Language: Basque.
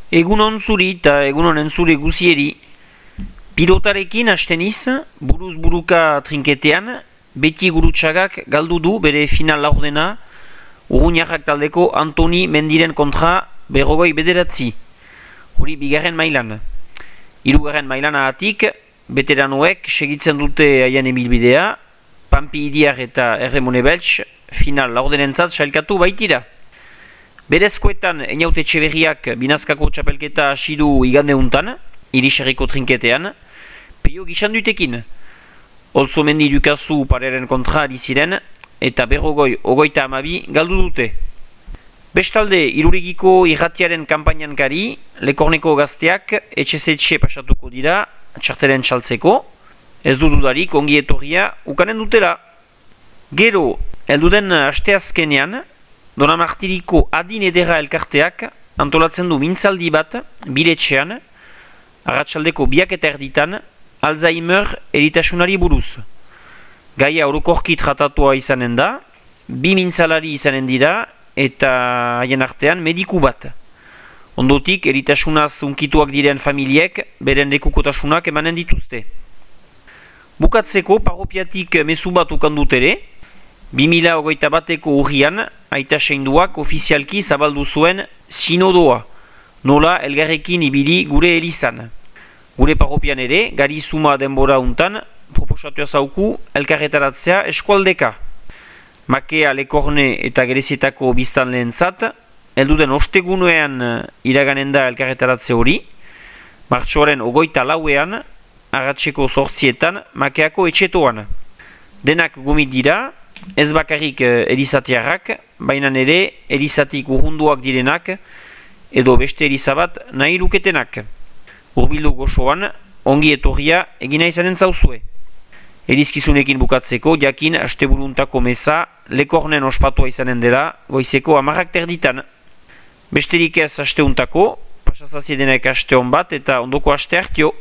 Egunon zuri eta egunon entzule guzieri. Pilotarekin hasteniz, buruz buruka trinketean, beti gurutxagak galdu du bere final laurdena Urruñarrak taldeko Antoni Mendiren kontra 49. Hori bigarren mailan. Hirugarren mailan ahatik, beteranoek segitzen dute haien emilbidea, Pampi Idiar eta Erremone Beltz final laurdenentzat sailkatu baitira. Berezkoetan Einaute Etxeberriak binazkako txapelketa hasi du igande untan, iriserriko trinketean, peio gisandutekin. Olzo Mendi Dukazu pareren kontra ari ziren, eta 52 galdu dute. Bestalde, Irurigiko irratiaren kanpainan gari, Lekorneko gazteak etxe pasatuko dira, txartelen txaltzeko, ez du dudarik ongi etorria ukanen dutela. Gero, elduden asteazkenean, Donamartiriko adin edera elkarteak antolatzen du mintzaldi bat, biletxean, arratsaldeko 2:00 Alzheimer eritasunari buruz. Gaia orokorki tratatua izanen da, 2 mintzalari izanen dira, eta haien artean mediku bat. Ondotik, eritasunaz unkituak diren familiek, beren lekukotasunak emanen dituzte. Bukatzeko, parropiatik mezu bat ukandut ere, 2021ko urrian, aita seinduak ofizialki zabaldu zuen sinodoa, nola elgarrekin ibili gure elizan. Gure parropian ere, gari zuma denbora untan, proposatua zauku elkarretaratzea eskualdeka. Makea, Lekorne eta Gerezietako biztan lehentzat, elduden ostegunean iraganen da elkarretaratze hori, martxoaren 24ean, arratseko 8etan, Makeako etxetoan. Denak gomit dira, ez bakarrik elizatiarrak, baina ere elizatik urrunduak direnak, edo beste elizabat nahi luketenak. Urbildu gozoan, ongi etorria egina izanen zauzue. Elizkizunekin bukatzeko, jakin asteburuntako meza Lekornen ospatua izanen dela, goizeko 10:00 Besterik ez asteuntako, pasazaziedenek aste hon bat eta ondoko aste hartio.